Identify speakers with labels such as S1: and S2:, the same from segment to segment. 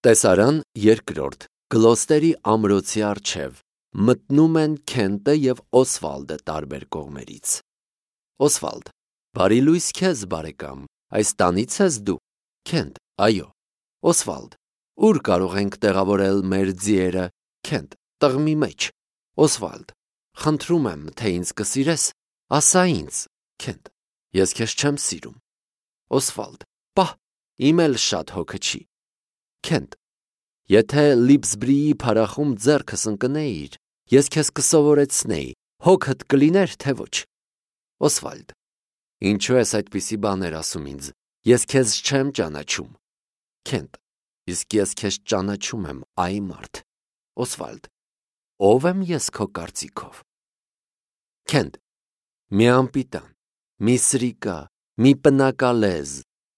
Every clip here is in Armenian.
S1: Տեսարան երկրորդ Գլոստերի ամրոցի առջև մտնում են Քենտը և Օսվալդը տարբեր կողմերից։ Օսվալդ. Բարի լույս քեզ, բարեկամ, այս տանից ես դու։ Քենտ. Այո։ Օսվալդ. Ուր կարող ենք տեղավորել մեր ձիերը։ Քենտ. Տղմի մեջ։ Օսվալդ. Խնդրում եմ, թե ինձ կսիրես, ասա ինձ։ Քենտ. Ես քեզ չեմ սիրում։ Օսվալդ. Պահ, իմ էլ շատ հոգը չի։ Քենտ. Եթե Լիպսբրիի փարախում ձեռքս ընկնեիր, ես քեզ կսովորեցնեի, հոգդ կլիներ, թե ոչ։ Օսվալդ. Ինչու ես այդպիսի բաներ ասում ինձ, ես քեզ չեմ ճանաչում։ Քենտ. Իսկ ես քեզ ճանաչում եմ, այ մարդ։ Օսվալդ. Ո՞վ եմ ես քո կարծիքով։ Քենտ. Մի անպիտան, մի սրիկա, մի պնակալեզ,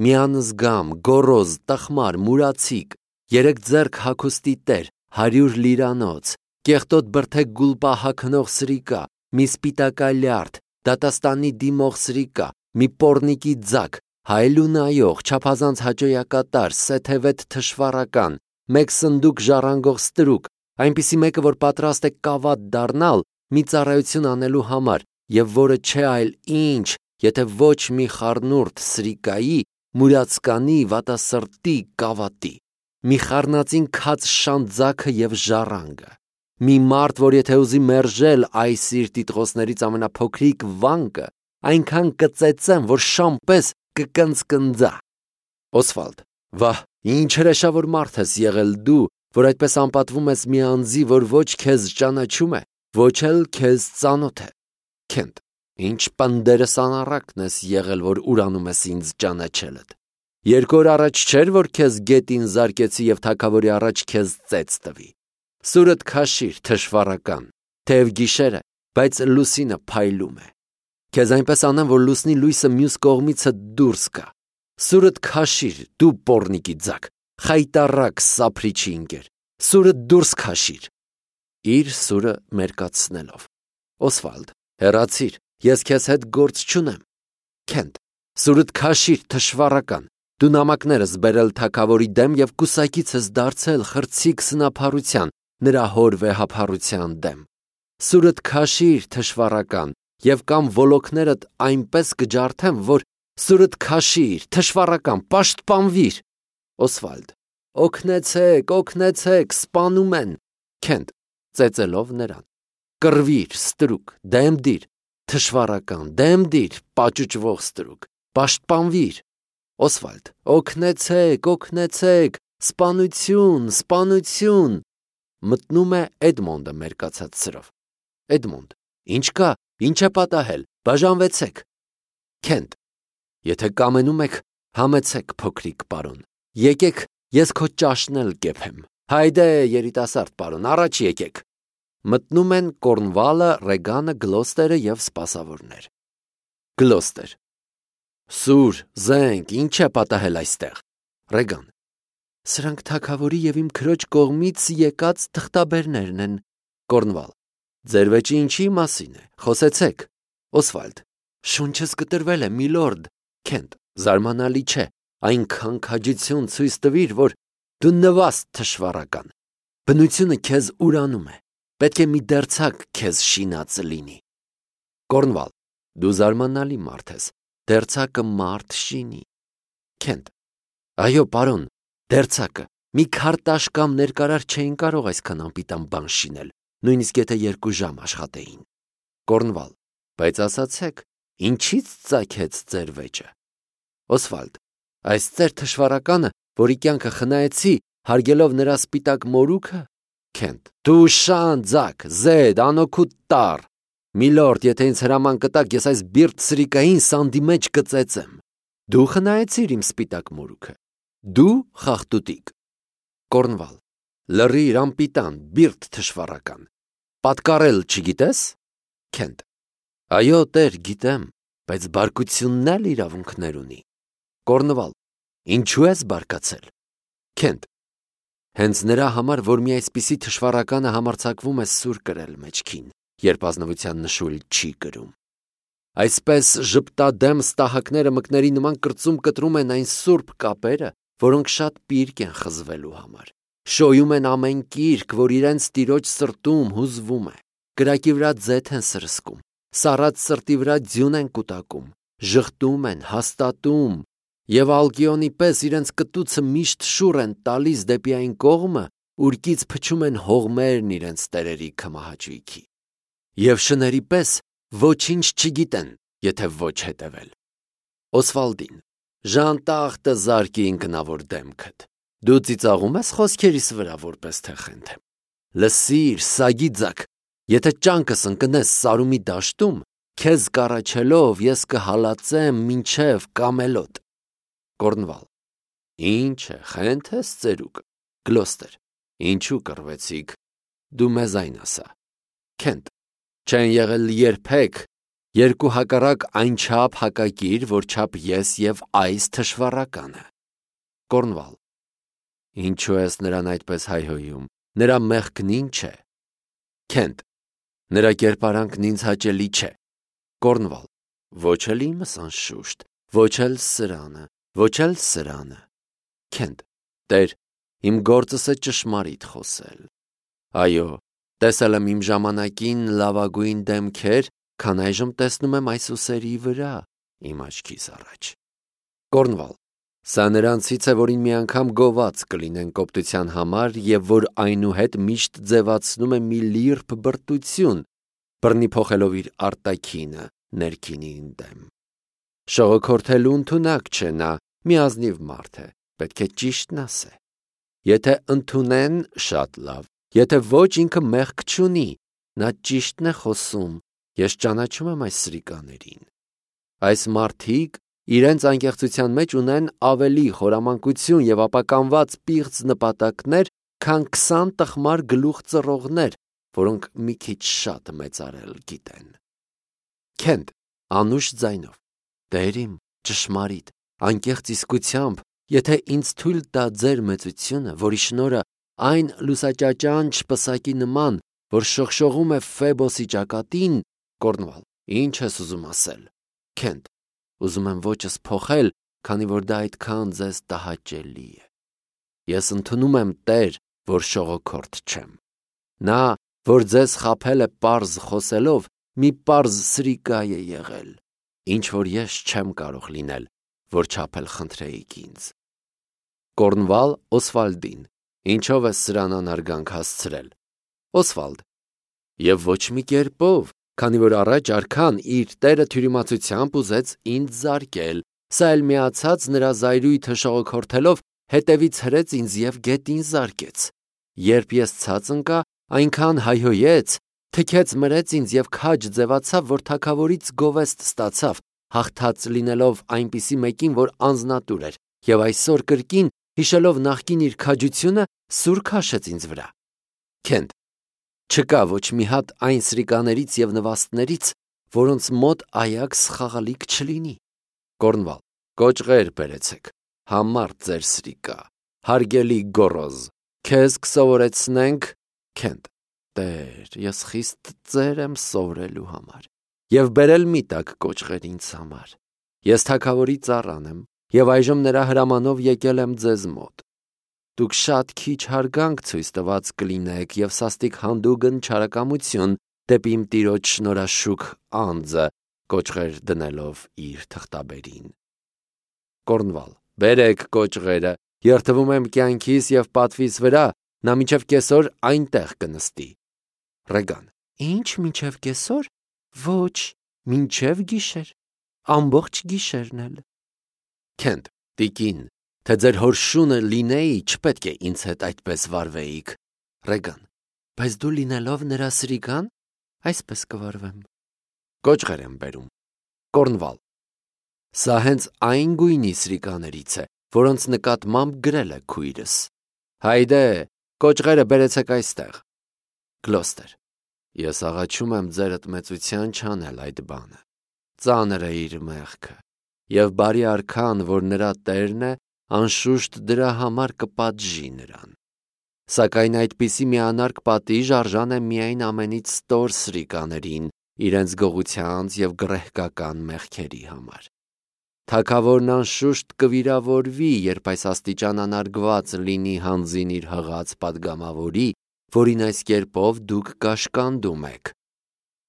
S1: մի անզգամ, գոռոզ, տխմար, մուրացիկ, 3 ձեռք հագուստի տեր, 100 լիրանոց, կեղտոտ բրդեկ գուլպա հագնող սրիկա, մի սպիտակալյարդ, դատաստանի դիմող սրիկա, մի պոռնիկի ձակ, հայելու նայող, չափազանց հաճոյակատար, սեթևետ թշվառական, 1 սնդուկ ժառանգող ստրուկ, այնպիսի մեկը, որ պատրաստ է կավատ դառնալ մի ծառայություն անելու համար, և որը չէ այլ ինչ, եթե ոչ մի խառնուրդ սրիկայի, մուրացկանի, վատասրտի, կավատի, մի խառնածին քած շանտ ձագը և ժառանգը, մի մարդ, որ եթե ուզի մերժել այս իր տիտղոսներից ամենափոքրիկ վանկը, այնքան կծեծեմ, որ շան պես կկնծկնձա։ Օսվալդ. Վահ, ինչ հրեշավոր մարդ ես եղել դու, որ այդպես անպատվում ես մի անձի, որ ոչ քեզ ճանաչում է, ոչ էլ քեզ ծանոթ է։ Քենտ. Ինչ պնդերս անառակն ես եղել, որ ուրանում ես ինձ ճանաչելդ։ 2 օր առաջ չէր, որ քեզ գետին զարկեցի և թագավորի առաջ քեզ ծեծ տվի։ Սուրդ քաշիր, թշվառական, թեև գիշեր է, բայց լուսինը փայլում է։ Քեզ այնպես անեմ, որ լուսնի լույսը մյուս կողմիցը դուրս գա։ Սուրդ քաշիր, դու պոռնիկի ձակ, խայտառակ սափրիչի ընկեր, սուրդ դուրս քաշիր։ Իր սուրը մերկացնելով։ Օսվալդ. Հեռացիր, ես քեզ հետ գործ չունեմ։ Քենտ. Սուրդ քաշիր, թշվառական, դու նամակներս բերել թագավորի դեմ և կուսակից ես դարձել խրցիկ սնափառության, նրա հոր վեհափառության դեմ։ Սուրդ քաշիր, թշվառական, և կամ ոլոքներդ այնպես կջարդեմ, որ սուրդ քաշիր, թշվառական, պաշտպանվիր։ Օսվալդ. Օգնեցեք, օգնեցեք, սպանում են։ Քենտ. Ծեծելով նրան. Կռվիր, ստրուկ, դեմ դիր, թշվառական, դեմ դիր, պաճուճվող ստրուկ, պաշտպանվիր։ Օսվալդ. Օգնեցեք, օգնեցեք, սպանություն, սպանություն։ Մտնում է Էդմոնդը մերկացած սրով։ Էդմոնդ. Ինչ կա, ինչ է պատահել, բաժանվեցեք։ Քենտ. Եթե կամենում եք, համեցեք, փոքրիկ պարոն, եկեք, ես քո ճաշն էլ կեփեմ։ Հայդե, երիտասարդ պարոն, առաջ եկեք։ Մտնում են Կորնվալը, Ռեգանը, Գլոստերը և սպասավորներ։ Գլոստեր. Սուր, զենք, ինչ է պատահել այստեղ։ Ռեգան. Սրանք թագավորի և իմ քրոջ կողմից եկած թղթաբերներն են։ Կորնվալ. Ձեր վեճը ինչի մասին է, խոսեցեք։ Օսվալդ. Շունչս կտրվել է, միլորդ։ Քենտ. Զարմանալի չէ, այնքան քաջություն ցույց տվիր, որ դու նվաստ թշվառական։ Բնությունը քեզ ուրանում է, պետք է մի դերձակ քեզ շինած լինի։ Կորնվալ. Դու զարմանալի մարդ ես, դերձակը մարդ շինի։ Քենտ. Այո, պարոն, դերձակը, մի քարտաշ կամ ներկարար չէին կարող այսքան անպիտան բան շինել, նույնիսկ եթե 2 ժամ աշխատեին։ Կորնվալ. Բայց ասացեք, ինչից ծագեց ձեր վեճը։ Օսվալդ. Այս ձեր թշվառականը, որի կյանքը խնայեցի, հարգելով նրա սպիտակ մորուքը։ Քենտ. Դու շան ձակ, զեդ, անօգուտ տառ։ Միլորդ, եթե ինձ հրաման կտաք, ես այս բիրտ սրիկային սանդի մեջ կծեծեմ։ Դու խնայեցիր իմ սպիտակ մորուքը։ Դու խախտուտիկ։ Կորնվալ. Լռիր, անպիտան, բիրտ թշվառական։ Պատկառել չգիտես։ Քենտ. Այո, տեր, գիտեմ, բայց բարկությունն էլ իրավունքներ ունի։ Կորնվալ. Ինչու ես բարկացել։ Քենտ. Հենց նրա համար, որ մի այսպիսի թշվառականը համարձակվում է սուր կրել մեջքին, երբ ազնվության նշույլ չի կրում։ Այսպես ժպտադեմ ստահակները մկների նման կրծում կտրում են այն սուրբ կապերը, որոնք շատ պիրկ են խզվելու համար։ Շոյում են ամեն կիրք, որ իրենց տիրոջ սրտում հուզվում է։ Կրակի վրա ձեթ են սրսկում, սառած սրտի վրա ձյուն են կուտակում, ժխտում են, հաստատում և Ալկիոնի պես իրենց կտուցը միշտ շուռ են տալիս դեպի այն կողմը, ուրկից փչում են հողմերն իրենց տերերի քմահաճույքի։ Եվ շների պես ոչինչ չգիտեն, եթե ոչ հետևել։ Օսվալդին, ժանտախտը զարկի ինքնավոր դեմքդ։ Դու ծիծաղում ես խոսքերիս վրա, որպես թե խենթեմ։ Լսիր, սագի ձակ, եթե ճանկս ընկնես Սարումի դաշտում, քեզ կառաջելով ես կհալածեմ մինչև Կամելոտ։ Կորնվալ. Ինչ է, խենթ ես ծերուկ։ Գլոստեր. Ինչու կռվեցիք։ Դու մեզ այն ասա։ Քենթ. Չեն եղել երբեք երկու հակառակ այնչափ հակակիր, որ չափ ես և այս թշվառականը։ Կորնվալ. Ինչու ես նրան այդպես հայհոյում, նրա մեղքն ինչ է։ Քենթ. Նրա կերպարանքն ինձ հաճելի չէ։ Կորնվալ. Ոչ էլ իմս անշուշտ, ոչ էլ սրանը, ոչ էլ սրանը։ Քենթ. Տեր, իմ գործս է ճշմարիտ խոսել։ Այո, տեսել եմ իմ ժամանակին լավագույն դեմքեր, քան այժմ տեսնում եմ այս ուսերի վրա, իմ աչքիս առաջ։ Կորնվալ. Սա նրանցից է, որին մի անգամ գոված կլինեն կոպտության համար և որ այնուհետ միշտ ձևացնում է մի լիրբ բրտություն, բռնի փոխելով իր արտաքինը ներքինին դեմ։ Շողոքորթելու ընդունակ չէ նա, մի ազնիվ մարդ է, պետք է ճիշտն ասե։ Եթե ընդունեն, շատ լավ, եթե ոչ ինքը մեղք չունի, նա ճիշտն է խոսում, ես ճանաչում եմ այս սրիկաներին։ Այս մարդիկ իրենց անկեղծության մեջ ունեն ավելի խորամանկություն և ապականված պիղծ նպատակներ, քան 20 տխմար գլուխ ծռողներ, որոնք մի քիչ շատ մեծարել գիտեն։ Քենթ, անուշ ձայնով. Տեր իմ, ճշմարիտ, անկեղծ իսկությամբ, եթե ինձ թույլ տա ձեր մեծությունը, որի շնորհը այն լուսաճաճանչ պսակի նման, որ շողշողում է Ֆեբոսի ճակատին, Կորնվալ, ինչ ես ուզում ասել։ Քենթ, ուզում եմ ոճս փոխել, քանի որ դա այդքան ձեզ տհաճելի է։ Ես ընդունում եմ Տեր, որ շողոքորթ չեմ։ Նա, որ ձեզ խաբել է պարզ խոսելով, մի պարզ սրիկա է եղել, ինչ որ ես չեմ կարող լինել, որ չափել խնդրեիք ինձ։ Կորնվալ Օսվալդին, ինչով ես սրան անարգանք հասցրել։ Օսվալդ. Եվ ոչ մի կերպով, քանի որ առաջ արքան իր տերը թյուրիմացությամբ ուզեց ինձ զարկել, սա էլ միացած նրա զայրույթը շողոքորթելով հետևից հրեց ինձ և գետին զարկեց։ Երբ ես ցած ընկա, այնքան հայհոյեց, թքեց մրեց ինձ և քաջ ձևացավ, որ թագավորից գովեստ ստացավ, հաղթած լինելով այնպիսի մեկին, որ անձնատուր էր, և այսօր կրկին, հիշելով նախկին իր քաջությունը, սուր քաշեց ինձ վրա։ Քենթ. Չկա ոչ մի հատ այն սրիկաներից և նվաստներից, որոնց մոտ այաքս խաղալիք չլինի։ Կորնվալ. Կոճղեր բերեցեք, համարդ ձեր սրիկա, հարգելի գոռոզ, քեզ կսովորեցնենք։ Քենթ. Տեր, ես խիստ ծեր եմ սովորելու համար, և բերել մի տակ կոճղեր ինձ համար։ Ես թագավորի ծառան եմ, և այժմ նրա հրամանով եկել եմ ձեզ մոտ։ Դուք շատ քիչ հարգանք ցույց տված կլինեք և սաստիկ հանդուգն չարակամություն դեպի իմ տիրոջ շնորհաշուք անձը, կոճղեր դնելով իր թղթաբերին։ Կորնվալ. Բերեք կոճղերը, երդվում եմ կյանքիս և պատվիս վրա, նա մինչև կեսօր այնտեղ կնստի։ Ռեգան. Ինչ մինչև կեսօր։ Ոչ, մինչև գիշեր, ամբողջ գիշերն էլ։ Քենթ. Տիկին, թե ձեր հոր շունը լինեի, չպետք է ինձ հետ այդպես վարվեիք։ Ռեգան. Բայց դու լինելով նրա սրիկան, այսպես կվարվեմ։ Կոճղեր եմ բերում։ Կորնվալ. Սա հենց այն գույնի սրիկաներից է, որոնց նկատմամբ գրել է քույրս։ Հայդե, կոճղերը բերեցեք այստեղ։ Գլոստեր. Ես աղաչում եմ ձերդ մեծության չանել այդ բանը։ Ծանր է իր մեղքը, և բարի արքան, որ նրա տերն է, անշուշտ դրա համար կպատժի նրան։ Սակայն այդպիսի միանարկ պատիժ արժան է միայն ամենից ստոր սրիկաներին, իրենց գողությանց և գռեհկական մեղքերի համար։ Թագավորն անշուշտ կվիրավորվի, երբ այս աստիճան անարգված լինի հանձին իր հղած պատգամավորի, որին այս կերպով դուք կաշկանդում եք։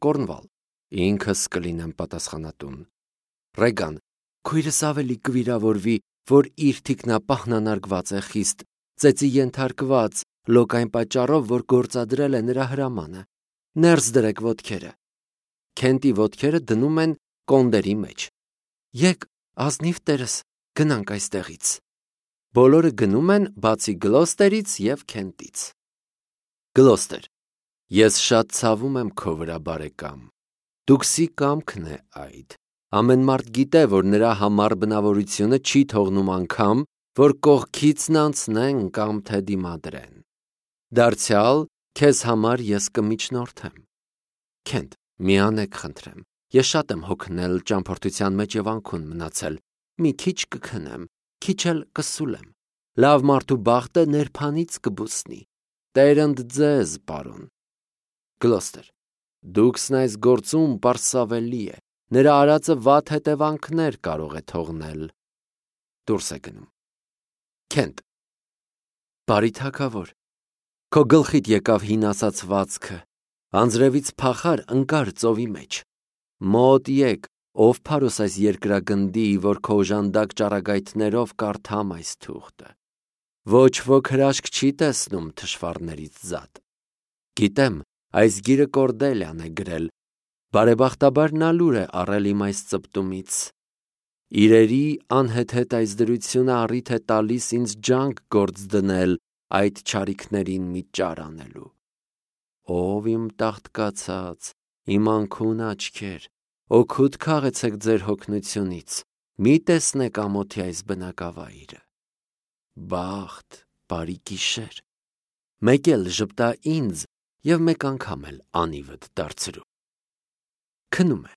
S1: Կորնվալ. Ինքս կլինեմ պատասխանատուն։ Ռեգան. Քույրս ավելի կվիրավորվի, որ իր թիկնապահն անարգված է խիստ, ծեծի ենթարկված, լոկ այն պատճառով, որ գործադրել է նրա հրամանը։ Ներս դրեք ոտքերը։ Քենտի ոտքերը դնում են կոնդերի մեջ։ Եկ, ազնիվ տերս, գնանք այստեղից։ Բոլորը գնում են, բացի Գլոստերից և Քենտից։ Գլոստեր. Ես շատ ցավում եմ քո վրա, բարեկամ։ Դուքսի կամքն է այդ։ Ամեն մարդ գիտե, որ նրա համար բնավորությունը չի թողնում անգամ, որ կողքիցն անցնեն կամ թե դիմադրեն։ Դարձյալ, քեզ համար ես կմիջնորդեմ։ Քենտ, միանեք խնդրեմ։ Ես շատ եմ հոգնել ճամփորդության մեջ և անքուն մնացել։ Մի քիչ կքնեմ, քիչ էլ կսուլեմ։ Լավ մարդու բախտը ներփանից կբուսնի։ Տերընդ ձեզ, պարոն։ Գլոստեր. Դուքսն այս գործում պարսավելի է։ Նրա արածը վատ հետևանքներ կարող է թողնել։ Դուրս է գնում։ Քենտ. Բարի թագավոր, քո գլխիդ եկավ հին ասացվածքը, անձրևից փախար ընկար ծովի մեջ։ Մոտ եկ, ով փարոս այս երկրագնդի, որ քո օժանդակ ճառագայթներով կարդամ այս թուղթը։ Ոչ ոք հրաշք չի տեսնում թշվառներից զատ։ Գիտեմ, այս գիրը Կորդելյան է գրել, բարեբախտաբար նա լուր է առել իմ այս ծպտումից։ Իրերի անհեթեթ այս դրությունը առիթ է տալիս ինձ ջանք գործ դնել այդ չարիքներին մի ճար անելու։ Ով իմ տաղտկացած, իմ անքուն աչքեր, օգուտ քաղեցեք ձեր հոգնությունից, մի տեսնեք ամոթի այս բնակավայրը։ Բախտ, բարի գիշեր, մեկ էլ ժպտա ինձ և մեկ անգամ էլ անիվդ դարձրու։ Քնում է։